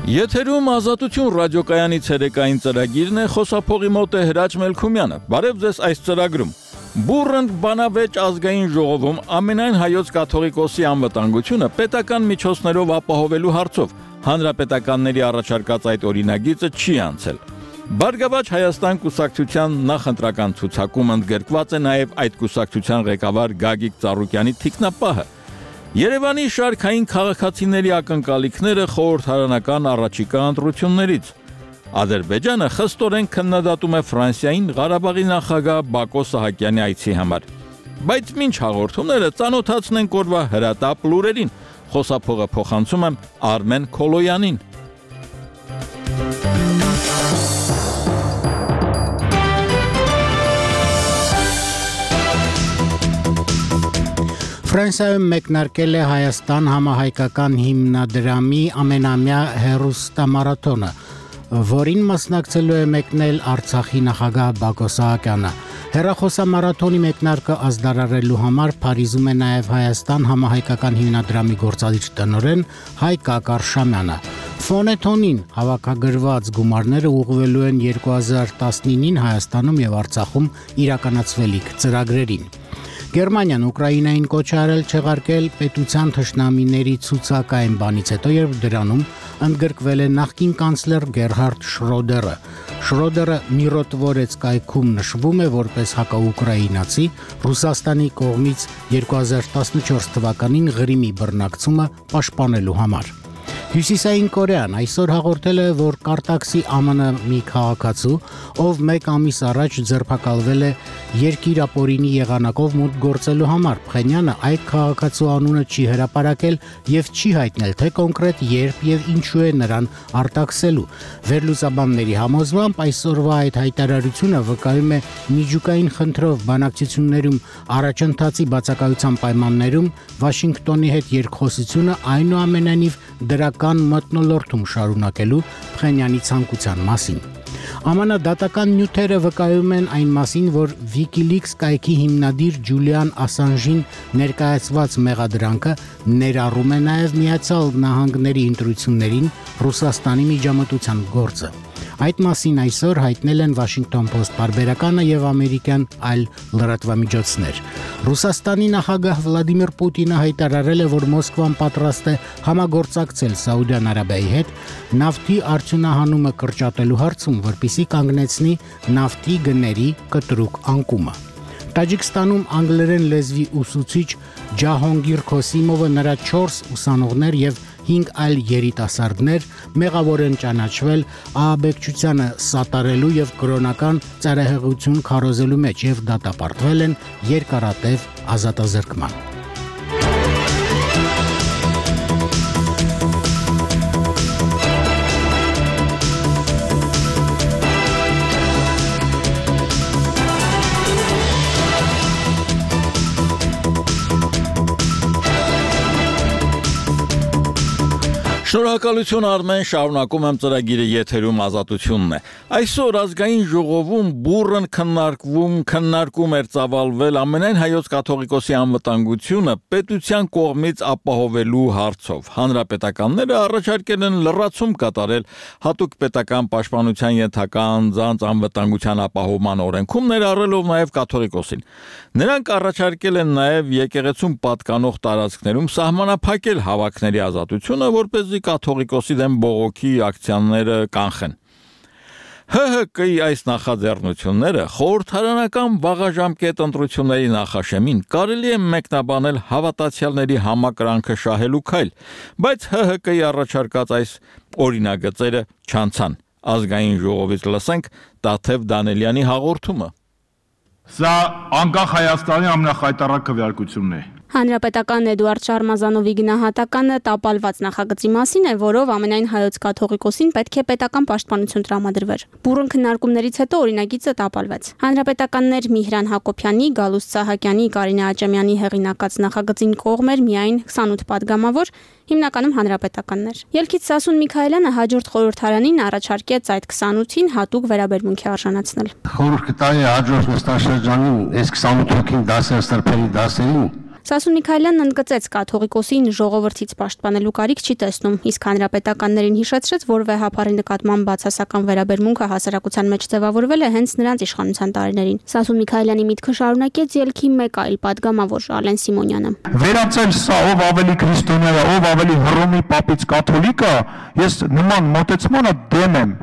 Եթերում Ազատություն ռադիոկայանի ցերեկային ծրագիրն է, խոսափողի մոտ է Հրաչ Մելքումյանը։ Բարև ձեզ այս ծրագրում։ Բուռն բանավեճ ազգային ժողովում ամենայն հայոց կաթողիկոսի անվտանգությունը պետական միջոցներով ապահովելու հարցով հանրապետականների առաջարկած այդ օրինագիծը չի անցել։ Բարգավաճ Հայաստան կուսակցության նախընտրական ցուցակում ընդգրկված է նաև այդ կուսակցության ղեկավար Գագիկ Ծառուկյանի թիկնապահը։ Երևանի շարքային քաղաքացիների ակնկալիքները խորհրդարանական առաջիկա ընտրություններից։ Ադրբեջանը խստորեն քննադատում է Ֆրանսիային Ղարաբաղի նախագահ Բակո Սահակյանի այցի համար։ Բայց ինչ հաղորդումները ծանոթացնենք օրվա հրատապ լուրերին։ Խոսափողը փոխանցում եմ Արմեն Քոլոյանին։ Ֆրանսիայում մեկնարկել է Հայաստան համահայկական հիմնադրամի ամենամյա հեռուստամարաթոնը, որին մասնակցելու է մեկնել Արցախի նախագահ Բակո Սահակյանը։ Հեռախոսամարաթոնի մեկնարկը ազդարարելու համար Փարիզում է նաև Հայաստան համահայկական հիմնադրամի գործադիր տնօրեն Հայկ Ակարշամյանը։ Ֆոնեթոնին հավաքագրված գումարները ուղղվելու են 2019-ին Հայաստանում եւ Արցախում իրականացվելիք ծրագրերին։ Գերմանիան Ուկրաինային կոչ արել չեղարկել պետության թշնամիների ցուցակ այն բանից հետո, երբ դրանում ընդգրկվել է նախկին կանցլեր Գերհարդ Շրոդերը։ Շրոդերը Միրոտվորեց կայքում նշվում է որպես հակաուկրաինացի Ռուսաստանի կողմից 2014 թվականին Ղրիմի բռնակցումը պաշտպանելու համար։ Հյուսիսային Կորեան այսօր հաղորդել է, որ Կարտաքսի ԱՄՆ մի քաղաքացու, ով 1 ամիս առաջ ձերբակալվել է երկիր ապօրինի եղանակով մուտք գործելու համար, Փխենյանը այդ քաղաքացու անունը չի հրապարակել եւ չի հայտնել, թե կոնկրետ երբ եւ ինչու է նրան արտաքսելու։ Վերլուծաբանների համոզմամբ այսօրվա այդ հայտարարությունը վկայում է միջուկային խնդրով բանակցություններում առաջընթացի բացակայության պայմաններում Վաշինգտոնի հետ երկխոսությունը այնուամենայնիվ դրական մթնոլորտում շարունակելու Փխենյանի ցանկության մասին։ ԱՄՆ դատական նյութերը վկայում են այն մասին, որ WikiLeaks կայքի հիմնադիր Ջուլիան Ասանժին ներկայացված մեղադրանքը ներառում է նաև Միացյալ Նահանգների ընտրություններին Ռուսաստանի միջամտության գործը։ Այդ մասին այսօր հայտնել են Washington Post պարբերականը եւ ամերիկյան այլ լրատվամիջոցներ։ Ռուսաստանի նախագահ Վլադիմիր Պուտինը հայտարարել է, որ Մոսկվան պատրաստ է համագործակցել Սաուդյան Արաբիայի հետ նավթի արդյունահանումը կրճատելու հարցում, որպեսզի կանգնեցնի նավթի գների կտրուկ անկումը։ Տաջիկստանում անգլերեն լեզվի ուսուցիչ Ջահոնգիր Քոսիմովը նրա 4 ուսանողներ եւ 5 այլ երիտասարդներ մեղավոր են ճանաչվել ահաբեկչությանը սատարելու եւ կրոնական ծայրահեղություն քարոզելու մեջ եւ դատապարտվել են երկարատև ազատազրկման։ Շնորհակալություն Արմեն, շարունակում եմ ծրագիրը եթերում Ազատությունն է։ Այսօր ազգային ժողովում բուռն քննարկում էր ծավալվել ամենայն հայոց կաթողիկոսի անվտանգությունը պետության կողմից ապահովելու հարցով։ Հանրապետականները առաջարկել են լրացում կատարել հատուկ պետական պաշտպանության ենթակա անձանց անվտանգության ապահովման օրենքում ներառելով նաև կաթողիկոսին։ Նրանք առաջարկել են նաև եկեղեցում պատկանող տարածքներում սահմանափակել հավաքների ազատությունը, որպեսզի կաթողիկոսի դեմ բողոքի ակցիաները կանխեն։ ՀՀԿ-ի այս նախաձեռնությունները խորհրդարանական վաղաժամկետ ընտրությունների նախաշեմին կարելի է մեկնաբանել հավատացյալների համակրանքը շահելու քայլ, բայց ՀՀԿ-ի առաջարկած այս օրինագծերը չանցան։ Ազգային ժողովից լսենք Տաթև Դանելյանի հաղորդումը։ Սա անկախ Հայաստանի ամենախայտառակ քվեարկությունն է։ Հանրապետական Էդուարդ Շարմազանովի գնահատականը տապալված նախագծի մասին է, որով ամենայն հայոց կաթողիկոսին պետք է պետական պաշտպանություն տրամադրվեր։ Բուռն քննարկումներից հետո օրինագիծը տապալվեց։ Հանրապետականներ Միհրան Հակոբյանի, Գալուստ Սահակյանի, Կարինե Աճեմյանի հեղինակած նախագծին կողմ էր միայն 28 падգամավոր, հիմնականում հանրապետականներ։ Ելքից Սասուն Միքայելյանը հաջորդ խորհրդարանին առաջարկեց այդ 28-ին հատուկ վերաբերմունքի արժանացնել։ Խորհուրդ կտայի հաջորդ նստաշրջանին այս 28 հոգին դասեր սրբելի դասերին Սասուն Միքայելյանն ընդգծեց կաթողիկոսին ժողովրդից պաշտպանելու կարիք չի տեսնում, իսկ հանրապետականներին հիշեցրեց, որ վեհափառի նկատմամբ բացասական վերաբերմունքը հասարակության մեջ ձևավորվել է հենց նրանց իշխանության տարիներին։ Սասուն Միքայելյանի միտքը շարունակեց ելքի մեկ այլ падգամավոր Ալեն Սիմոնյանը։ Վերացել սա ով ավելի քրիստոնյա է, ով ավելի հռոմի պապից կաթոլիկ է, ես նման մոտեցմանը դեմ եմ։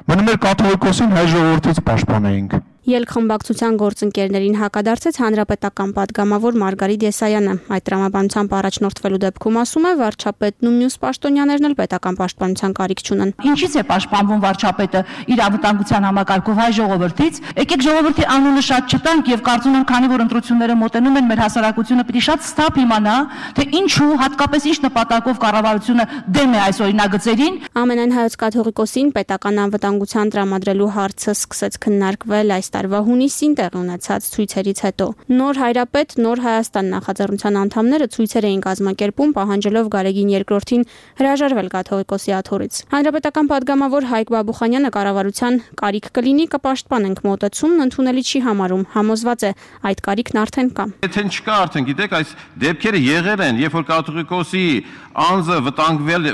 Մնում էր կաթողիկոսին հայ ժողովրդից պաշտպանեինք։ Ելք խմբակցության գործընկերներին հակադարձեց հանրապետական падգամավոր Մարգարիտ Եսայանը։ Այդ տրամաբանությամբ առաջնորդվելու դեպքում ասում է վարչապետն ու մյուս պաշտոնյաներն էլ պետական պաշտպանության կարիք չունեն։ Ինչից է պաշտպանվում վարչապետը իր անվտանգության համակարգով հայ ժողովրդից։ Եկեք ժողովրդի անունը շատ չտանք եւ կարծում եմ, քանի որ ընտրությունները մոտենում են, մեր հասարակությունը պիտի շատ ստապ իմանա, թե ինչու հատկապես ինչ նպատակով կառավարությունը դեմ է այս օրինագծերին։ Ամենայն հայոց կաթողիկոսին պետական անվտանգության տրամադրելու հարցը սկսեց քննարկվել այս տարվա հունիսին տեղի ունեցած ցույցերից հետո։ Նոր Հայրապետ, Նոր Հայաստան նախաձեռնության անդամները ցույցեր էին կազմակերպում, պահանջելով Գարեգին II-ին հրաժարվել կաթողիկոսի աթոռից։ Հանրապետական падգամավոր Հայկ Բաբուխանյանը կառավարության կարիք կլինի, կպաշտպանենք մոտեցումն ընդունելի չի համարում, համոզված է այդ կարիքն արդեն կա։ Եթե չկա արդեն, գիտեք, այս դեպքերը եղել են, երբ որ կաթողիկոսի անձը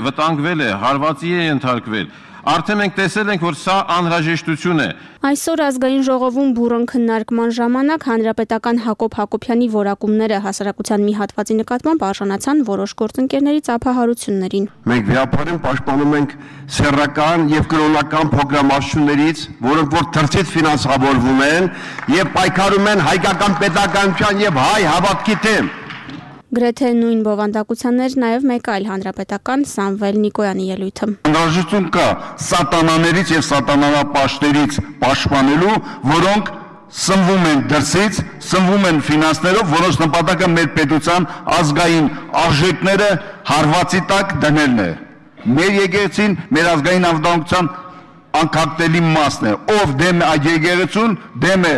վտանգվել է, հարվածի է ենթարկվել, արդեն մենք տեսել ենք, որ սա անհրաժեշտություն է։ Այսօր ազգային ժողովում բուրըն քննարկման ժամանակ հանրապետական Հակոբ Հակոբյանի որակումները հասարակության մի հատվածի նկատմամբ արժանացան որոշ գործընկերների ծափահարություններին։ Մենք վեհապարին պաշտպանում ենք սեռական եւ կրոնական փոքրամասնություններից, որոնք որ թռչից ֆինանսավորվում են եւ պայքարում են հայկական պետականության եւ հայ հավատքի դեմ։ Գրեթե նույն բովանդակություններ նաև մեկ այլ հանրապետական Սամվել Նիկոյանի ելույթը։ Անհրաժեշտություն կա սատանաներից եւ սատանանապաշտներից պաշտպանելու, որոնք սնվում են դրսից, սնվում են ֆինանսներով, որոնց նպատակը մեր պետության ազգային արժեքները հարվածի տակ դնելն է։ Մեր եկեղեցին մեր ազգային անվտանգության անկախտելի մասն է, ով դեմ է այդ եկեղեցուն, դեմ է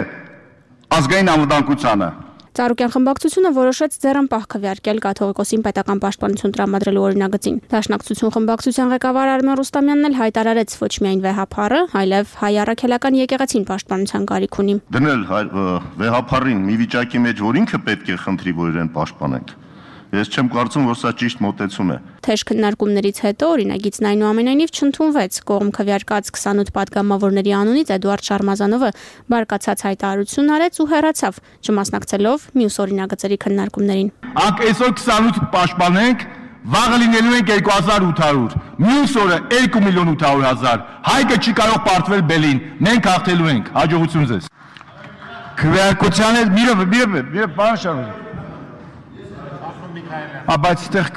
ազգային անվտանգությանը։ Ծառուկյան խմբակցությունը որոշեց ձեռնպահ քվեարկել կաթողիկոսին պետական պաշտպանություն տրամադրելու օրինագծին։ Դաշնակցություն խմբակցության ղեկավար Արմեն Ռուստամյանն էլ հայտարարեց ոչ միայն վեհափառը, այլև հայ առաքելական եկեղեցին պաշտպանության կարիք ունի։ Դնել վեհափառին մի վիճակի մեջ, որ ինքը պետք է խնդրի, որ իրեն պաշտպանենք։ Ես չեմ կարծում, որ սա ճիշտ մոտեցում է։ Թեժ քննարկումներից հետո օրինագիծն այնուամենայնիվ չընդունվեց։ Կողմ քվեարկած 28 падգամավորների անունից Էդուարդ Շարմազանովը բարկացած հայտարարություն արեց ու հեռացավ, չմասնակցելով մյուս օրինագծերի քննարկումներին։ Անք այսօր 28 պաշտպանենք, վաղը լինելու ենք 2800, մյուս օրը 2.800.000։ Հայկը չի կարող պարտվել բելին, մենք հաղթելու ենք, հաջողություն ձեզ։ Քվեարկության հետ մի բան շարունակ։ Բայց այդտեղ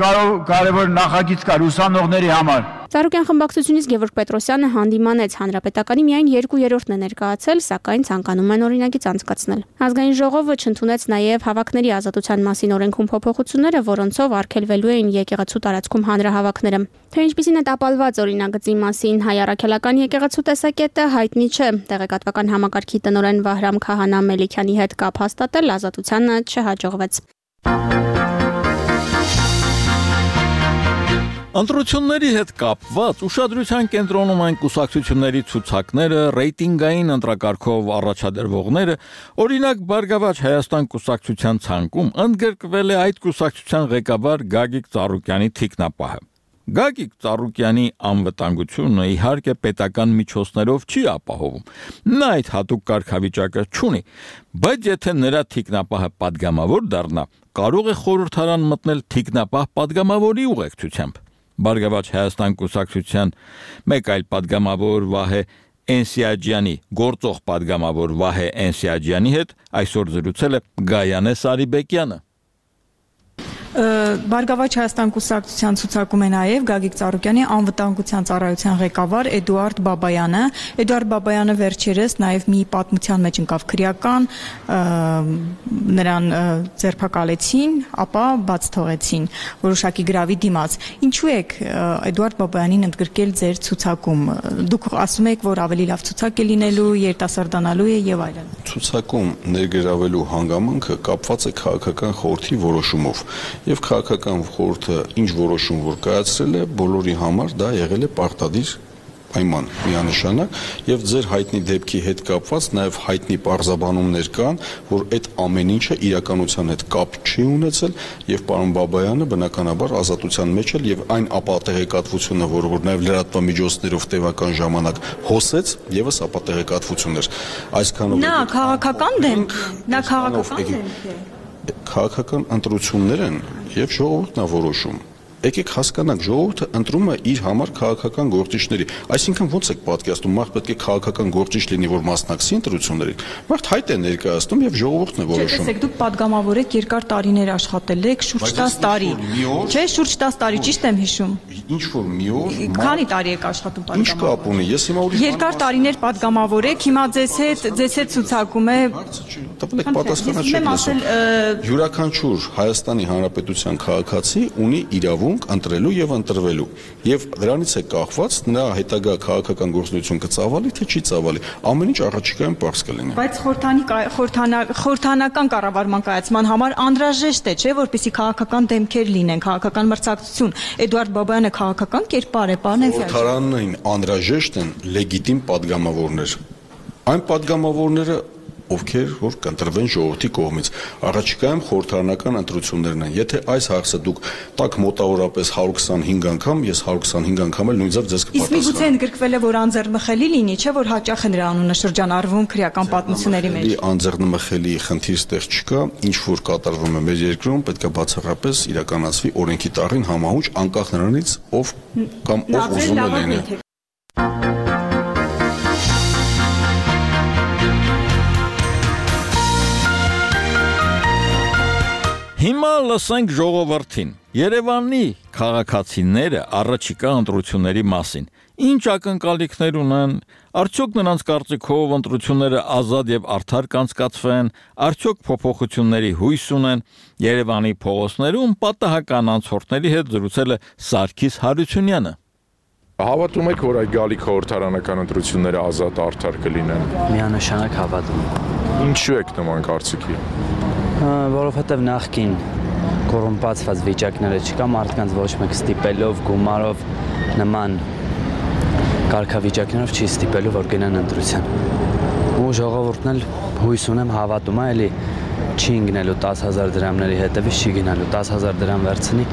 կարևոր նախագիծ կար ուսանողների համար։ Ծառուկյան խմբակցությունից Գևորգ Պետրոսյանը հանդիմանեց հանրապետականի միայն 2/3-ն է ներկայացել, սակայն ցանկանում են օրինագիծ անցկացնել։ Ազգային ժողովը չընդունեց նաև հավաքների ազատության մասին օրենքում փոփոխությունները, որոնցով արգելվելու էին եկեղեցու տարածքում հանրահավաքները։ Թե ինչպիսին է տապալված օրինագծի մասին հայ առաքելական եկեղեցու տեսակետը հայտնի չէ։ Տեղեկատվական համակարգի տնօրեն Վահրամ Քահանա Մելիքյանի հետ կապ հաստատել ազատությանը չհաջողվեց։ Ընտրությունների հետ կապված ուշադրության կենտրոնում են կուսակցությունների ցուցակները, ռեյտինգային ընտրակարգով առաջադրվողները, օրինակ Բարգավաճ Հայաստան կուսակցության ցանկում ընդգրկվել է այդ կուսակցության ղեկավար Գագիկ Ծառուկյանի թիկնապահը։ Գագիկ Ծառուկյանի անվտանգությունը իհարկե պետական միջոցներով չի ապահովում։ Նա այդ հատուկ կարգավիճակը չունի, բայց եթե նրա թիկնապահը падգամավոր դառնա, կարող է խորհրդարան մտնել թիկնապահ падգամավորի ուղեկցությամբ։ Բարգավաճ Հայաստան կուսակցության մեկ այլ падգամավոր Վահե Էնսիաջյանի գործող падգամավոր Վահե Էնսիաջյանի հետ այսօր զրուցել է Գայանե Սարիբեկյանը։ Բարգավաճ Հայաստան կուսակցության ցուցակում է նաև Գագիկ Ծառուկյանի անվտանգության ծառայության ղեկավար Էդուարդ Բաբայանը։ Էդուարդ Բաբայանը վերջերս նաև մի պատմության մեջ ընկավ քրեական, նրան ձերբակալեցին, ապա բաց թողեցին որոշակի գրավի դիմաց։ Ինչու եք Էդուարդ Բաբայանին ընդգրկել ձեր ցուցակում։ Դուք ասում եք, որ ավելի լավ ցուցակ է լինելու, երիտասարդանալու է եւ այլն։ Ցուցակում ներգրավելու հանգամանքը կապված է քաղաքական խորհրդի որոշումով։ Եվ քաղաքական խորհուրդը ինչ որոշում որ կայացրել է, բոլորի համար դա եղել է պարտադիր պայման միանշանակ եւ ձեր հայտնի դեպքի հետ կապված նաեւ հայտնի պարզաբանումներ կան, որ այդ ամեն ինչը իրականության հետ կապ չի ունեցել եւ պարոն Բաբայանը բնականաբար ազատության մեջ էլ եւ այն ապատեղեկատվությունը, որ նաեւ լրատվամիջոցներով տևական ժամանակ հոսեց, եւս ապատեղեկատվություն էր։ Այսքանով Նա քաղաքական դեմք է։ Քաղաքական ընտրություններ են եւ ժողովուրդն է որոշում։ Եկեք հասկանանք, ժողովուրդը ընտրում է իր համար քաղաքական գործիչների։ Այսինքն ոնց եք պատկերացնում, մարդ պետք է քաղաքական գործիչ լինի, որ մասնակցի ընտրություններին։ Մարդ հայտ է ներկայացնում եւ ժողովուրդն է որոշում։ Տեսեք, դուք падգամավոր եք, երկար տարիներ աշխատել եք, շուրջ 10 տարի։ Չէ, շուրջ 10 տարի, ճիշտ եմ հիշում։ Ինչ որ մի օր Քանի տարի եք աշխատում падգամավոր։ Ինչ կապ ունի։ Ես հիմա ուրիշ Երկար տարիներ падգամավոր եք, հիմա ձեզ հետ ցուցակում է։ Տպեք պատասխանը չեք լսում։ Յուրաքանչյուր Հայաստանի Հանրապետության քաղաքացի ունի իրավունք ընտրելու եւ ընտրվելու եւ դրանից է կախված նա հետագա քաղաքական գործունեություն կծավալի թե չի ծավալի ամեն ինչ առաջիկայում པարզ կլինի բայց խորհրդանական կառավարման կայացման համար անհրաժեշտ է չէ որպեսզի քաղաքական դեմքեր լինեն քաղաքական մրցակցություն Էդուարդ Բաբայանը քաղաքական կերպար է պարոն խորհրդարանային անհրաժեշտ են լեգիտիմ падգամավորներ այն падգամավորները ովքեր որ կընտրվեն ժողովրդի կողմից առաջիկայում խորհրդարանական ընտրություններն են եթե այս հարցը դուք տակ մոտավորապես 125 անգամ ես 125 անգամ էլ նույնիսկ ձեզ կպատասխանեմ իսկ միգուցե ընդգրկվել է որ անձեռնմխելի լինի չէ որ հաճախ է նրա անունը շրջանառվում քրեական պատմությունների մեջ անձեռնմխելի խնդիր ստեղ չկա ինչ որ կատարվում է մեր երկրում պետք է բացառապես իրականացվի օրենքի տառին համահունչ անկախ նրանից ով կամ ով ուզում է լինի Հիմա լսենք ժողովրդին։ Երևանի քաղաքացիները առաջիկա ընտրությունների մասին ինչ ակնկալիքներ ունեն, արդյոք նրանց կարծիքով ընտրությունները ազատ եւ արդար կանցկացվեն, արդյոք փոփոխությունների հույս ունեն։ Երևանի փողոցներում պատահական անցորդների հետ զրուցել է Սարգիս Հարությունյանը։ Հավատում եք, որ այդ գալիք խորհրդարանական ընտրությունները ազատ արդար կլինեն։ Միանշանակ հավատում։ Ինչու եք նման կարծիքի։ Որովհետև նախքին կոռումպացված վիճակները չկա մարդկանց ոչ մեկ ստիպելով, գումարով նման կարգավիճակներով չի ստիպելու, որ գնան ընտրության։ Ու ժողովուրդն էլ հույս ունեմ հավատում է, էլի չի ընկնելու 10,000 դրամների հետևից չի գնալու 10,000 դրամ վերցնի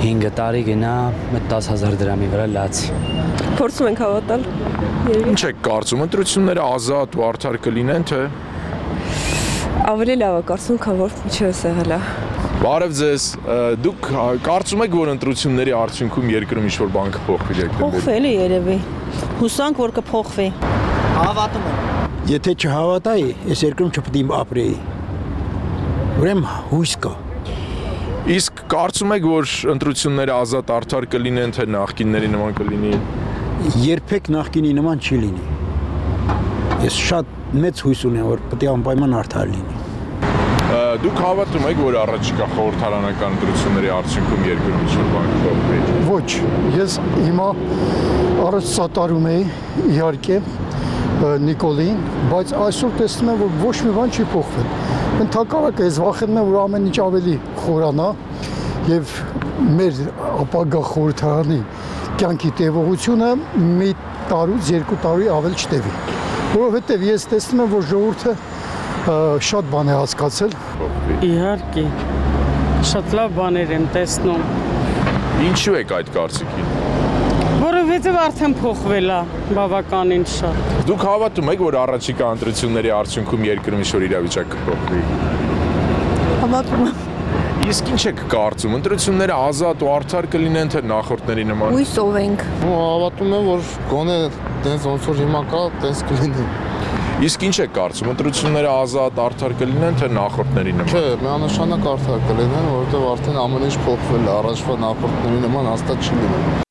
5 տարի գնա այդ 10,000 դրամի վրա լացի։ Փորձում ենք հավատալ։ Ինչ եք կարծում, ընտրությունները ազատ ու արդար կլինեն, թե Ավելի լավ է կարծում, քան որ ինչպես եղել է։ Բարև ձեզ, դուք կարծում եք, որ ընտրությունների արդյունքում երկրում ինչ-որ բան կփոխվի դեպի։ Փոխվի երևի։ Հուսանք, որ կփոխվի։ Հավատում եմ։ Եթե չհավատայի, այս երկրում չպետք է ապրեի։ Ուրեմն հույս կա։ Իսկ կարծում եք, որ ընտրությունները ազատ արդար կլինեն, թե նախկինների նման կլինի։ Երբեք նախկինի նման չի լինի։ Ես շատ մեծ հույս ունեմ, որ պետք է անպայման արդար լինի։ Դուք հավատում եք, որ առաջիկա խորհրդարանական ընտրությունների արդյունքում երկրում ինչ-որ բան կփոխվի։ Ոչ, ես հիմա առաջ սատարում էի իհարկե Նիկոլին, բայց այսօր տեսնում եմ, որ ոչ մի բան չի փոխվել։ Ընդհակառակը ես վախենում եմ, որ ամեն ինչ ավելի խորանա եւ մեր ապագա խորհրդարանի կյանքի տևողությունը մի տարուց 2 տարի ավել չտևի։ Որովհետև ես տեսնում եմ, որ ժողովուրդը շատ բան է հասկացել։ Իհարկե, շատ լավ բաներ եմ տեսնում։ Ինչու եք այդ կարծիքին։ Որովհետև արդեն փոխվել է բավականին շատ։ Դուք հավատում եք, որ առաջիկա ընտրությունների արդյունքում երկրում ինչ-որ իրավիճակ կփոխվի։ Հավատում եմ։ Իսկ ինչ եք կարծում, ընտրությունները ազատ ու արդար կլինեն, թե նախորդների նման։ Հույսով ենք։ Հավատում եմ, որ գոնե տենց ոնց որ հիմա կա, տենց կլինի։ Իսկ ինչ եք կարծում, ընտրությունները ազատ արդար կլինեն, թե նախորդների նման։ Չէ, միանշանակ արդար կլինեն, որովհետև արդեն ամեն ինչ փոխվել է, առաջվա նախորդների նման հաստատ չի լինի։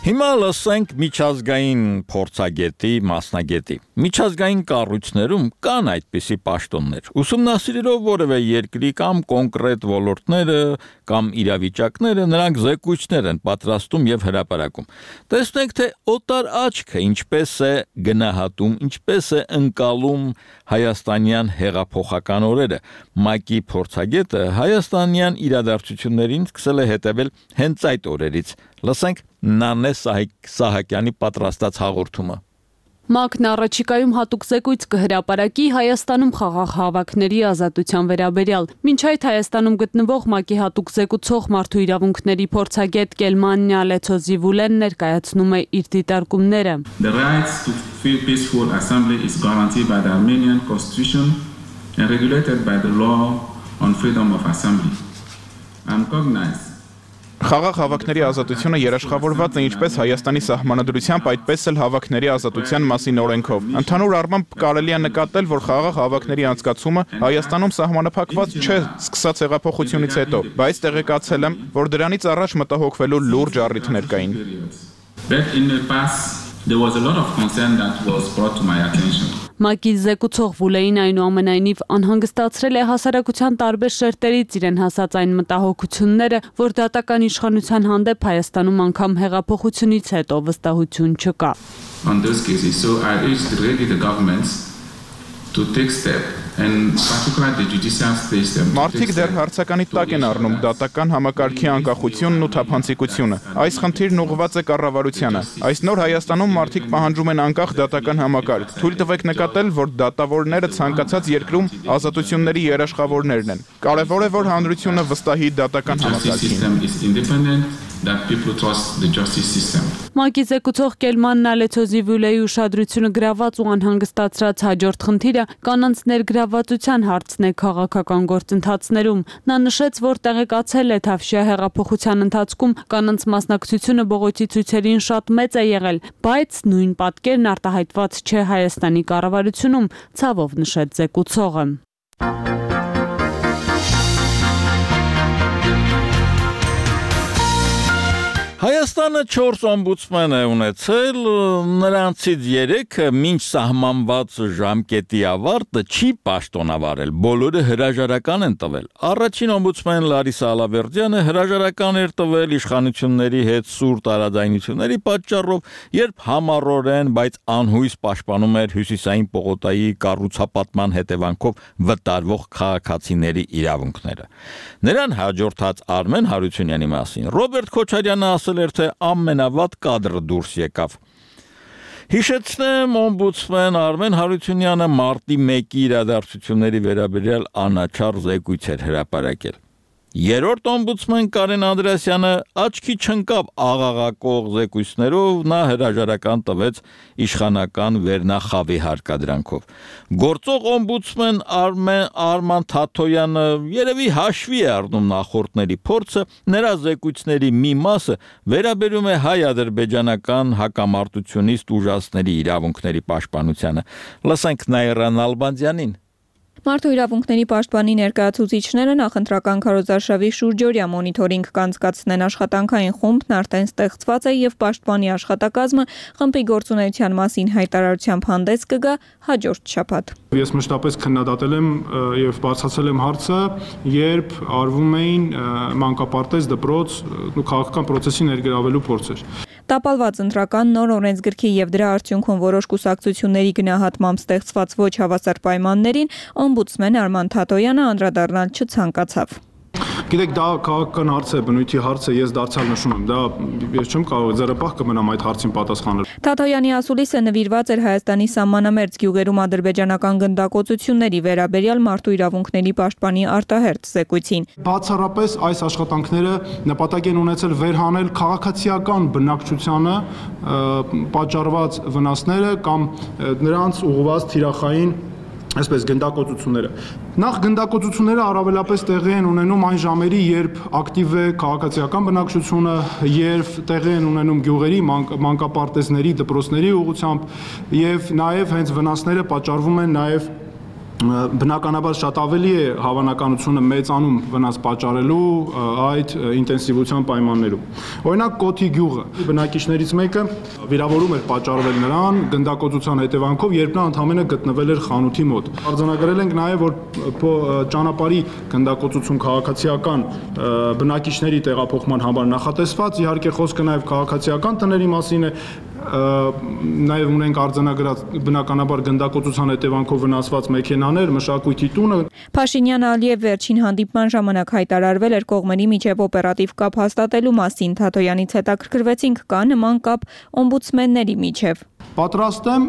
Հիմա լսենք միջազգային փորձագետի մասնագետի։ Միջազգային կառույցներում կան այդպիսի պաշտոններ։ Ուսումնասիրելով որևէ երկրի կամ կոնկրետ ոլորտները կամ իրավիճակները, նրանք զեկույցներ են պատրաստում եւ հրապարակում։ Տեսնենք, թե օտար աչքը ինչպես է գնահատում, ինչպես է ընկալում հայաստանյան հեղափոխական օրերը։ ՄԱԿ-ի փորձագետը հայաստանյան իրադարձություններին սկսել է հետևել հենց այդ օրերից։ Լսենք Նանե Սահակյանի պատրաստած հաղորդումը։ ՄԱԿ-ն առաջիկայում հատուկ զեկույց կհրապարակի Հայաստանում խաղաղ հավաքների ազատության վերաբերյալ։ Մինչ այդ Հայաստանում գտնվող ՄԱԿ-ի հատուկ զեկուցող մարդու իրավունքների փորձագետ Կելման Նյալեցոզիվուլեն ներկայացնում է իր դիտարկումները։ The right to peaceful assembly is guaranteed by the Armenian constitution and regulated by the law on freedom of assembly. I'm cognizant Խաղաղ հավաքների ազատությունը երաշխավորված է ինչպես Հայաստանի սահմանադրությամբ, այդպես էլ հավաքների ազատության մասին օրենքով։ Ընդհանուր առմամբ կարելի է նկատել, որ խաղաղ հավաքների անցկացումը Հայաստանում սահմանափակված չէ սկսած հեղափոխությունից հետո, բայց տեղեկացել եմ, որ դրանից առաջ մտահոգվելու լուրջ առիթներ կային։ There was a lot of concern that was brought to my attention. ՄԱԿ-ի զեկուցող Վուլեին այնուամենայնիվ անհանգստացրել է հասարակության տարբեր շերտերից իրեն հասած այն մտահոգությունները, որ դատական իշխանության հանդեպ Հայաստանում անգամ հեղափոխությունից հետո վստահություն չկա։ On those cases, so I urged really the governments to take step and particularly the judicial system. Մարդիկ դեռ հարցականի տակ են առնում դատական համակարգի անկախությունն ու թափանցիկությունը։ Այս խնդիրն ուղղված է կառավարությանը։ Այս նոր Հայաստանում մարդիկ պահանջում են անկախ դատական համակարգ։ Թույլ տվեք նկատել, որ դատավորները ցանկացած երկրում ազատությունների երաշխավորներն են։ Կարևոր է, որ հանրությունը վստահի դատական համակարգին։ That people trust the justice system. ՄԱԿ-ի զեկուցող Կելման Նալեցոզիվուլեի ուշադրությունը գրաված ու անհանգստացրած հաջորդ խնդիրը կանանց ներգրավվածության հարցն է քաղաքական գործընթացներում։ Նա նշեց, որ տեղեկացել է Թավշյա հեղափոխության ընթացքում կանանց մասնակցությունը բողոքի ցույցերին շատ մեծ է եղել, բայց նույն պատկերն արտահայտված չէ Հայաստանի կառավարությունում, ցավով նշեց զեկուցողը։ Հայաստանը 4 օմբուդսմեն է ունեցել, նրանցից 3-ը մինչ սահմանված ժամկետի ավարտը չի պաշտոնավարել, բոլորը հրաժարական են տվել։ Առաջին օմբուդսմեն Լարիսա Ալավերդյանը հրաժարական էր տվել իշխանությունների հետ սուր տարաձայնությունների պատճառով, երբ համառորեն, բայց անհույս պաշտպանում էր Հյուսիսային պողոտայի կառուցապատման հետևանքով վտարվող քաղաքացիների իրավունքները։ Նրան հաջորդած Արմեն Հարությունյանի մասին Ռոբերտ Քոչարյանը ասել էր, թե ամենավատ կադրը դուրս եկավ։ Հիշեցնեմ, օմբուդսմեն Արմեն Հարությունյանը մարտի 1-ի իրադարձությունների վերաբերյալ անաչառ զեկույց էր հրապարակել։ Երրորդ օմբուդսմեն Կարեն Անդրեասյանը աչքի չընկավ աղաղակող զեկույցներով, նա հրաժարական տվեց իշխանական վերնախավի հարկադրանքով։ Գործող օմբուդսմեն Արման Թաթոյանը երևի հաշվի է առնում նախորդների փորձը, նրա զեկույցների մի մասը վերաբերում է հայ-ադրբեջանական հակամարտությունից ուժասների իրավունքների պաշտպանությանը։ Լսենք Նաիրա Նալբանդյանին։ Մարդու իրավունքների պաշտպանի ներկայացուցիչները նախընտրական քարոզարշավի շուրջօրյա մոնիթորինգ կանցկացնեն աշխատանքային խումբն արդեն ստեղծված է եւ պաշտպանի աշխատակազմը խմբի գործունեության մասին հայտարարությամբ հանդես կգա հաջորդ շաբաթ։ Ես մշտապես քննադատել եմ եւ բացացել եմ հարցը, երբ արվում էին մանկապարտեզ դպրոց ու քաղաքական process-ի ներգրավելու փորձեր։ Տապալված ընտրական նոր օրենսգրքի եւ դրա արդյունքում որոշ կուսակցությունների գնահատմամբ ստեղծված ոչ հավասար պայմաններին օմբուդսմեն Արման Թաթոյանը անդրադառնալ չցանկացավ։ Գիտեք, դա քաղաքական հարց է, բնույթի հարց է, ես դարձյալ նշում եմ, դա ես չեմ կարող ձեռապահ կմնամ այդ հարցին պատասխանել։ Թաթոյանի ասուլիսը նվիրված էր Հայաստանի սահմանամերձ գյուղերում ադրբեջանական գնդակոծությունների վերաբերյալ մարդու իրավունքների պաշտպանի արտահերթ զեկույցին։ Բացառապես այս աշխատանքները նպատակ են ունեցել վերհանել քաղաքացիական բնակչությանը պատճառված վնասները կամ նրանց ուղղված թիրախային այսպես գնդակոծությունները։ Նախ գնդակոծությունները առավելապես տեղի են ունենում այն ժամերի, երբ ակտիվ է քաղաքացիական բնակչությունը, երբ տեղի են ունենում գյուղերի, մանկապարտեզների, դպրոցների ուղղությամբ եւ նաեւ հենց վնասները պատճառվում են նաեւ բնականաբար շատ ավելի է հավանականությունը մեծանում վնաս պատճառելու այդ ինտենսիվության պայմաններում։ Օրինակ Կոթի գյուղը բնակիչներից մեկը վիրավորում էր պատճառվել նրան գնդակոծության հետևանքով, երբ նա ընդամենը գտնվել էր խանութի մոտ։ Արձանագրել ենք նաև, որ ճանապարհի գնդակոծություն քաղաքացիական բնակիչների տեղափոխման համար նախատեսված, իհարկե խոսքը նաև քաղաքացիական տների մասին է, նաև ունենք արձանագրած բնականաբար գնդակոծության հետևանքով վնասված մեքենաներ, մշակույթի տունը։ Փաշինյան-Ալիև վերջին հանդիպման ժամանակ հայտարարվել էր կողմերի միջև օպերատիվ կապ հաստատելու մասին։ Թաթոյանից հետաքրքրվեցինք, կա նման կապ օմբուդսմենների միջև։ Պատրաստ եմ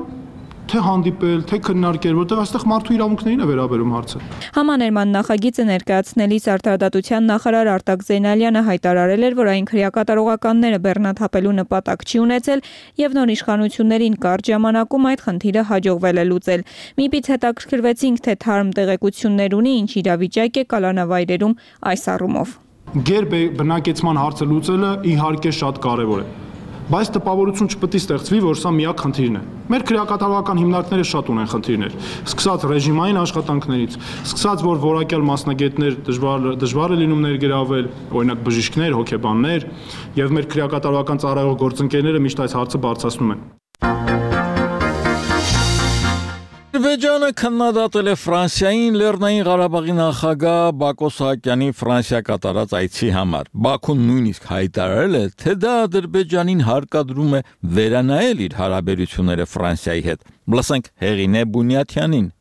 թե հանդիպել, թե քննարկել, որտեղ այստեղ մարդու իրավունքներին է վերաբերում հարցը։ Համաներման նախագիծը ներկայացնելիս Արտարդատության նախարար Արտակ Զեյնալյանը հայտարարել էր, որ այն քրեակատարողականները բեռնաթափելու նպատակ չի ունեցել եւ նոր իշխանություններին կարճ ժամանակում այդ խնդիրը հաջողվել է լուծել։ Միպից հետաքրքրվեցինք, թե թարմ տեղեկություններ ունի, ինչ իրավիճակ է կալանավայրերում այս առումով։ Գեր բնակեցման հարցը լուծելը իհարկե շատ կարեւոր է։ Բայց տպավորություն չպետք է ստեղծվի, որ սա միակ խնդիրն է։ Մեր քրեակատարողական հիմնարկները շատ ունեն խնդիրներ, սկսած ռեժիմային աշխատանքներից, սկսած որ որակյալ մասնագետներ դժվար է լինում ներգրավել, օրինակ բժիշկներ, հոգեբաններ, եւ մեր քրեակատարողական ծառայող գործընկերները միշտ այս հարցը բարձրացնում են։ Ադրբեջանը քննադատել է Ֆրանսիային Լեռնային Ղարաբաղի նախագահ Բակո Սահակյանի Ֆրանսիա կատարած այցի համար։ Բաքուն նույնիսկ հայտարարել է, թե դա Ադրբեջանին հարկադրում է վերանայել իր հարաբերությունները Ֆրանսիայի հետ։ Լսենք Հեղինե Բունյաթյանին։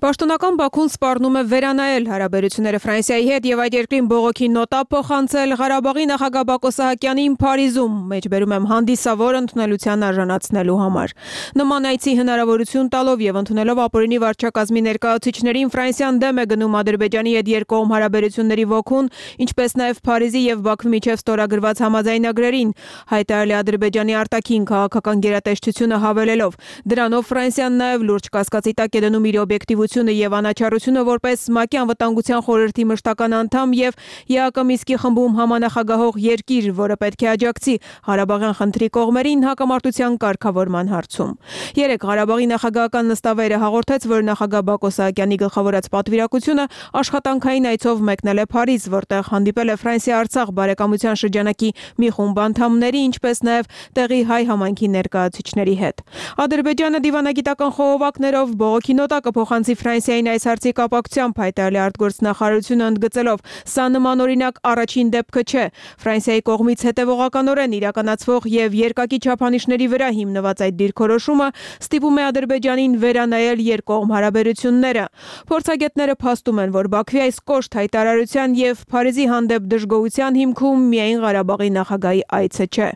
Պաշտոնական Բաքուն սպառնում է վերանայել հարաբերությունները Ֆրանսիայի հետ եւ այդ երկրին բողոքի նոտա փոխանցել Ղարաբաղի նախագահ Բակո Սահակյանին Փարիզում, մեջբերում եմ հանդիսավոր ընդունելության արժանացնելու համար։ Նման այցի հնարավորություն տալով եւ ընդունելով ապօրինի վարչակազմի ներկայացուցիչներին Ֆրանսիան դեմ է գնում Ադրբեջանի հետ երկկողմ հարաբերությունների ոգուն, ինչպես նաեւ Փարիզի եւ Բաքվի միջև ստորագրված համաձայնագրերին, հայտարարել է Ադրբեջանի արտաքին քաղաքական գերատեսչությունը հավելելով։ Դրանով Ֆրանսիան նաեւ լուրջ կասկածի տակ է դնում իր օբյեկտիվությունը եւ անաչառությունը որպես ՄԱԿ-ի անվտանգության խորհրդի մշտական անդամ եւ ԵԱԿ Մինսկի խմբում համանախագահող երկիր, որը պետք է աջակցի Ղարաբաղյան խնդրի կողմերին հակամարտության կարգավորման հարցում։ Երեկ Ղարաբաղի նախագահական նստավայրը հաղորդեց, որ նախագահ Բակո Սահակյանի գլխավորած պատվիրակությունը աշխատանքային այցով մեկնել է Փարիզ, որտեղ հանդիպել է Ֆրանսիա-Արցախ բարեկամության շրջանակի մի խումբ անդամների, ինչպես նաեւ տեղի հայ համայնքի ներկայացուցիչների հետ։ Ադրբեջանը դիվանագիտական խողովակներով բողոքի նոտա կփոխանցի Ֆրանսիային այս հարցի կապակցությամբ, հայտարարել է արտգործնախարարությունը ընդգծելով, սա նման օրինակ առաջին դեպքը չէ։ Ֆրանսիայի կողմից հետևողականորեն իրականացվող եւ երկակի չափանիշների վրա հիմնված այդ դիրքորոշումը ստիպում է Ադրբեջանին վերանայել երկկողմ հարաբերությունները։ Փորձագետները փաստում են, որ Բաքվի այս կոշտ հայտարարության եւ Փարիզի հանդեպ դժգոհության հիմքում միայն Ղարաբաղի նախագահի այցը չէ։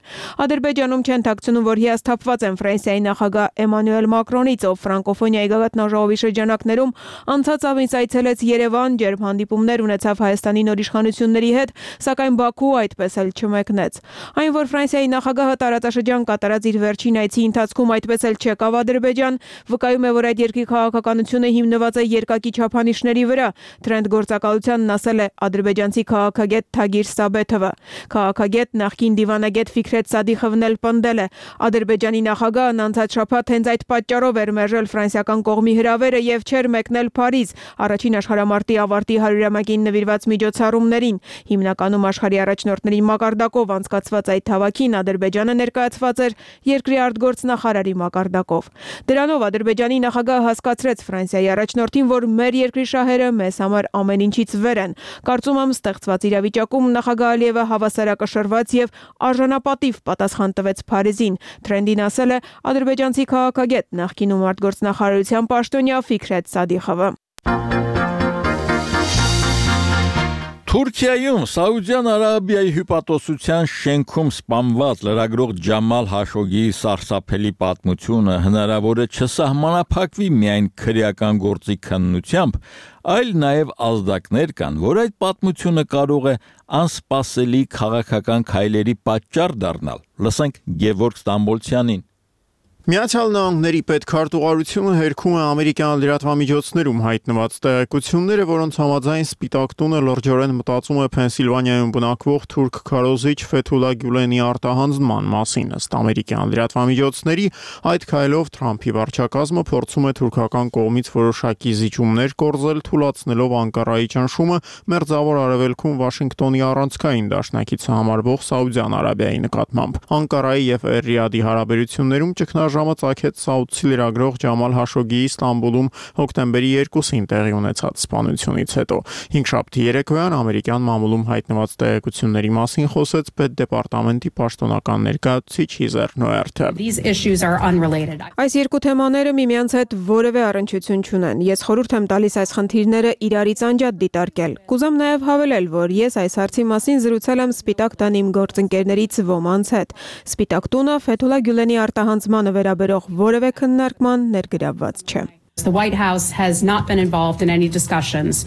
Ադրբեջանում չեն ཐակցնում, որ հիասթափված են Ֆրանսիայի նախագահ Էմանուել Մակրոնից, ով ֆրանկոֆոնիայի գագաթնաժողովի շրջանակներում անցած ամիս այցելեց Երևան, ջերմ հանդիպումներ ունեցավ Հայաստանի նոր իշխանությունների հետ, սակայն Բաքու այդպես էլ չմեկնեց։ Այն, որ Ֆրանսիայի նախագահը տարածաշրջան կատարած իր վերջին այցի ընթացքում այդպես էլ չեկավ Ադրբեջան, վկայում է, որ այդ երկրի քաղաքականությունը հիմնված է երկակի չափանիշների վրա։ Թրենդ գործակալությանն ասել է ադրբեջանցի քաղաքագետ Թագիր Սաբեթովը։ Քաղաքագետ նախկին դիվանագետ Ֆիքրետ Սադիխովն էլ պնդել է, Ադրբեջանի նախագահն անցած շաբաթ հենց այդ պատճառով էր մերժել ֆրանսիական կողմի հրավերը եւ չէր մեկնել Փարիզ առաջին աշխարհամարտի ավարտի 100-ամյակին նվիրված միջոցառումներին։ Հիմնականում աշխարհի առաջնորդների մակարդակով անցկացված այդ հավաքին Ադրբեջանը ներկայացված էր երկրի արտգործնախարարի մակարդակով։ Դրանով Ադրբեջանի նախագահը հասկացրեց Ֆրանսիայի առաջնորդին, որ մեր երկրի շահերը մեզ համար ամեն ինչից վեր են։ Կարծում եմ ստեղծված իրավիճակում նախագահ Ալիևը հավասարակշռված եւ արժանապատիվ պատասխան տվեց Փարիզին։ Թրենդին ասել է ադրբեջանցի քաղաքագետ նախկինում արտգործնախարարության պաշտոնյա Ֆիքրետ Սադիխովը։ Թուրքիայում Սաուդյան Արաբիայի հյուպատոսության շենքում սպանված լրագրող Ջամալ Հաշոգիի սարսափելի պատմությունը հնարավոր է չսահմանափակվի միայն քրեական գործի քննությամբ, այլ նաև ազդակներ կան, որ այդ պատմությունը կարող է անսպասելի քաղաքական քայլերի պատճառ դառնալ։ Լսենք Գևորգ Ստամբոլցյանին։ Միացյալ Նահանգների պետքարտուղարությունը հերքում է ամերիկյան լրատվամիջոցներում հայտնված տեղեկությունները, որոնց համաձայն Սպիտակ տունը լրջորեն մտածում է Փենսիլվանիայում բնակվող թուրք քարոզիչ Ֆեթուլա Գյուլենի արտահանձնման մասին։ Ըստ ամերիկյան լրատվամիջոցների, այդ քայլով Թրամփի վարչակազմը փորձում է թուրքական կողմից որոշակի զիջումներ կորզել, թուլացնելով Անկարայի ճնշումը Մերձավոր Արևելքում Վաշինգտոնի առանցքային դաշնակիցը համարվող Սաուդյան Արաբիայի նկատմամբ։ Անկարայի եւ Էր-Ռիադի հարաբերություններում ճգնաժամը ծագեց Սաուդցի լրագրող Ջամալ Հաշոգիի Ստամբուլում հոկտեմբերի 2-ին տեղի ունեցած սպանությունից հետո։ Հինգշաբթի երեկոյան ամերիկյան մամուլում հայտնված տեղեկությունների մասին խոսեց Պետդեպարտամենտի պաշտոնական ներկայացուցիչ Հիզեր Նոերթը։ Այս երկու թեմաները միմյանց հետ որևէ առնչություն չունեն։ Ես խորհուրդ եմ տալիս այս խնդիրները իրարից անջատ դիտարկել։ Կուզեմ նաև հավելել, որ ես այս հարցի մասին զրուցել եմ Սպիտակ տան իմ գործընկերներից ոմանց հետ։ Սպիտակ տունը Ֆեթուլա Գյուլենի արտահանձնմանը վերաբերող որևէ քննարկման ներգրավված չէ։ The White House has not been involved in any discussions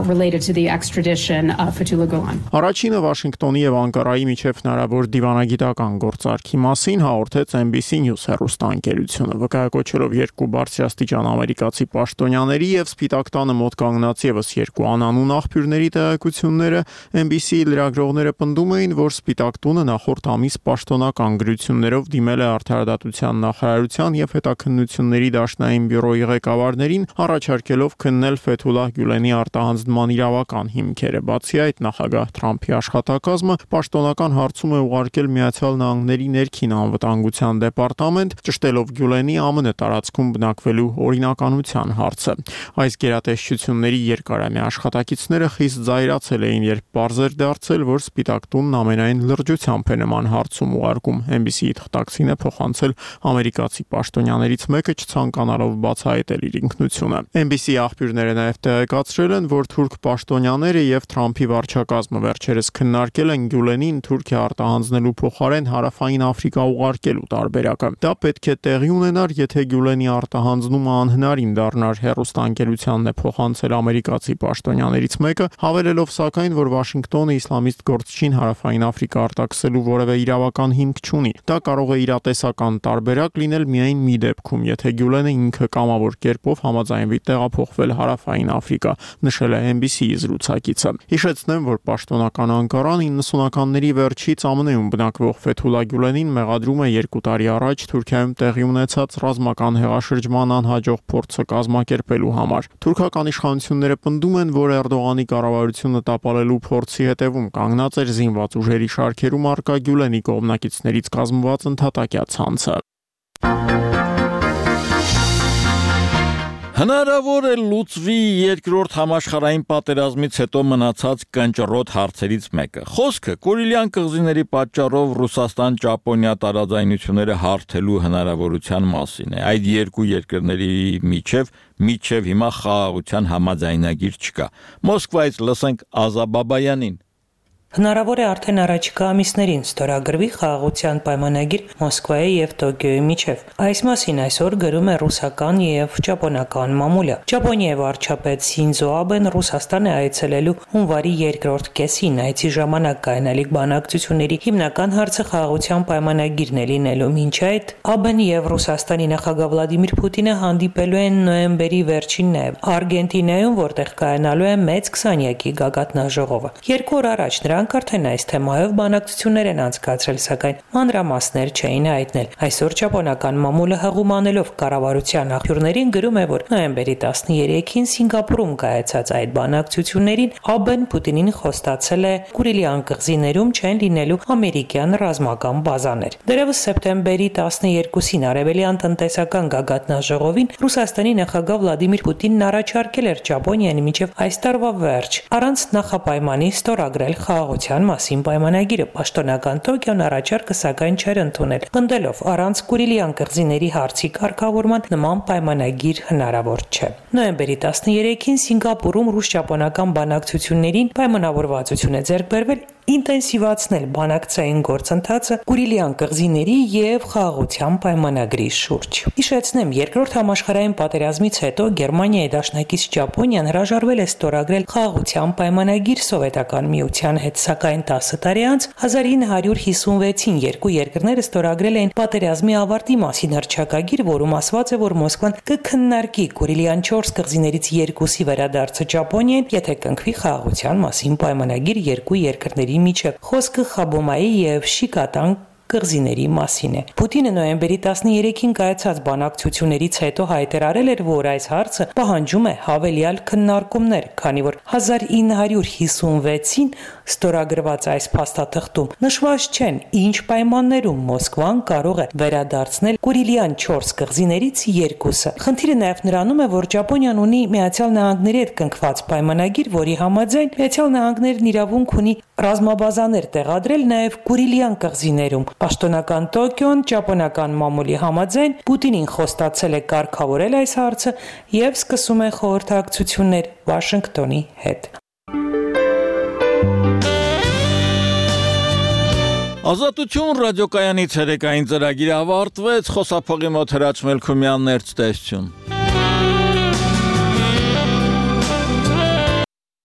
related to the extradition of Fethullah Gulen. Առաջինը Վաշինգտոնի եւ Անկարայի միջև հնարավոր դիվանագիտական գործարքի մասին հաղորդեց NBC News հեռուստաընկերությունը, վկայակոչելով երկու բարձրաստիճան ամերիկացի պաշտոնյաների եւ Սպիտակ տանը մոտ կանգնած եւս երկու անանուն աղբյուրների տեղեկությունները։ NBC լրագրողները պնդում էին, որ Սպիտակ տունը նախորդ ամիս պաշտոնական գրություններով դիմել է Արդարադատության նախարարության եւ հետաքննությունների դաշնային բյուրոյի ղեկավարներին առաջարկելով քննել Ֆեթուլա Գյուլենի արտահանձնման իրավական հիմքերը։ Բացի այդ, նախագահ Թրամփի աշխատակազմը պաշտոնական հարցում է ուղարկել Միացյալ Նահանգների ներքին անվտանգության դեպարտամենտ, ճշտելով Գյուլենի ԱՄՆ տարածքում բնակվելու օրինականության հարցը։ Այս գերատեսչությունների երկարամյա աշխատակիցները խիստ զայրացել էին, երբ պարզ էր դարձել, որ Սպիտակ տունն ամենայն լրջությամբ է նման հարցում ուղարկում։ NBC-ի թղթակցին է փոխանցել ամերիկացի պաշտոնյաներից մեկը, չցանկանալով բացահայտել իր ինքնությունը։ NBC աղբյուրները նաև տեղեկացրել են, որ թուրք պաշտոնյաները եւ Թրամփի վարչակազմը վերջերս քննարկել են Գյուլենին Թուրքիա արտահանձնելու փոխարեն Հարավային Աֆրիկա ուղարկելու տարբերակը։ Դա պետք է տեղի ունենար, եթե Գյուլենի արտահանձնումը անհնարին դառնար, հեռուստաընկերությանն է փոխանցել ամերիկացի պաշտոնյաներից մեկը, հավելելով սակայն, որ Վաշինգտոնը իսլամիստ գործչին Հարավային Աֆրիկա արտաքսելու որևէ իրավական հիմք չունի։ Դա կարող է իրատեսական տարբերակ լինել միայն մի դեպքում, եթե Գյուլենը ինքը կամավոր կերպով համաձայնվի տեղափոխվել Հարավային Աֆրիկա, նշել է NBC-ի զրուցակիցը։ Հիշեցնեմ, որ պաշտոնական Անկարան 90-ականների վերջից ԱՄՆ-ում բնակվող Ֆեթուլա Գյուլենին մեղադրում է 2 տարի առաջ Թուրքիայում տեղի ունեցած ռազմական հեղաշրջման անհաջող փորձը կազմակերպելու համար։ Թուրքական իշխանությունները պնդում են, որ Էրդողանի կառավարությունը տապալելու փորձի հետևում կանգնած էր զինված ուժերի շարքերում առկա Գյուլենի կողմնակիցներից կազմված ընդհատակյա ցանցը։ Հնարավոր է լուծվի երկրորդ համաշխարհային պատերազմից հետո մնացած կնճռոտ հարցերից մեկը։ Խոսքը Կուրիլյան կղզիների պատճառով Ռուսաստան-Ճապոնիա տարաձայնությունները հարթելու հնարավորության մասին է։ Այդ երկու երկրների միջև հիմա խաղաղության համաձայնագիր չկա։ Մոսկվայից լսենք Ազա Բաբայանին։ Հնարավոր է արդեն առաջիկա ամիսներին ստորագրվի խաղաղության պայմանագիր Մոսկվայի եւ Տոկիոյի միջև։ Այս մասին այսօր գրում է ռուսական եւ ճապոնական մամուլը։ Ճապոնիայի վարչապետ Սինզո Աբեն Ռուսաստան է այցելելու հունվարի 2-րդ կեսին։ Այցի ժամանակ կայանալիք բանակցությունների հիմնական հարցը խաղաղության պայմանագիրն է լինելու։ Մինչ այդ Աբեն եւ Ռուսաստանի նախագահ Վլադիմիր Պուտինը հանդիպելու են նոյեմբերի վերջին նաեւ Արգենտինայում, որտեղ կայանալու է մեծ 20-յակի գագաթնաժողովը։ 2 օր առաջ նրանք արդեն այս թեմայով բանակցություններ են անցկացրել, սակայն մանրամասներ չէին հայտնել։ Այսօր ճապոնական մամուլը հղումանելով կառավարության աղբյուրներին գրում է, որ նոյեմբերի 13-ին Սինգապուրում կայացած այդ բանակցություններին Աբեն Պուտինին խոստացել է Կուրիլյան կղզիներում չեն լինելու ամերիկյան ռազմական բազաներ։ Դեռևս սեպտեմբերի 12-ին արևելյան տնտեսական գագաթնաժողովին Ռուսաստանի նախագահ Վլադիմիր Պուտինն առաջարկել էր Ճապոնիայի միջև այս տարվա վերջ առանց նախապայմանի ստորագրել խաղաղության մասին պայմանագիրը։ Պաշտոնական Տոկիոն առաջարկը սակայն չէր ընդունել, պնդելով առանց Կուրիլյան կղզիների հարցի կարգավորման նման պայմանագիր հնարավոր չէ։ Նոյեմբերի 13-ին Սինգապուրում ռուս-ճապոնական բանակցություններին պայմանավորվածություն է ձեռք բերվել ինտենսիվացնել բանակցային գործընթացը Կուրիլյան կղզիների եւ խաղաղության պայմանագրի շուրջ։ Հիշեցնեմ, երկրորդ համաշխարհային պատերազմից հետո Գերմանիայի դաշնակից Ճապոնիան հրաժարվել է ստորագրել խաղաղության պայմանագիր Սովետական միության հետ, սակայն 10 տարի անց 1956-ին երկու երկրները ստորագրել էին պատերազմի ավարտի մասին հռչակագիր, որում ասված է, որ Մոսկվան կքննարկի Կուրիլյան 4 կղզիներից երկուսի վերադարձը Ճապոնիային, եթե կնքվի խաղաղության մասին պայմանագիր երկու երկրների միջև։ Խոսքը Խաբոմայի եւ Շիկատան կղզիների մասին է։ Պուտինը նոյեմբերի 13-ին կայացած բանակցություններից հետո հայտարարել էր, որ այս հարցը պահանջում է հավելյալ քննարկումներ, քանի որ 1956-ին ստորագրված այս փաստաթղթում նշված չեն, ինչ պայմաններում Մոսկվան կարող է վերադարձնել Կուրիլյան 4 կղզիներից երկուսը։ Խնդիրը նաև նրանում է, որ Ճապոնիան ունի Միացյալ Նահանգների հետ կնքված պայմանագիր, որի համաձայն Միացյալ Նահանգներն իրավունք ունի ռազմաբազաներ տեղադրել նաև Կուրիլյան կղզիներում։ Պաշտոնական Տոկիոն ճապոնական մամուլի համաձայն Պուտինին խոստացել է կարգավորել այս հարցը եւ սկսում է խորհրդակցություններ Վաշինգտոնի հետ։ Ազատություն ռադիոկայանի ցերեկային ծրագիրը ավարտվեց, խոսափողի մոտ Հրաչ Մելքումյանն էր ցտեսություն։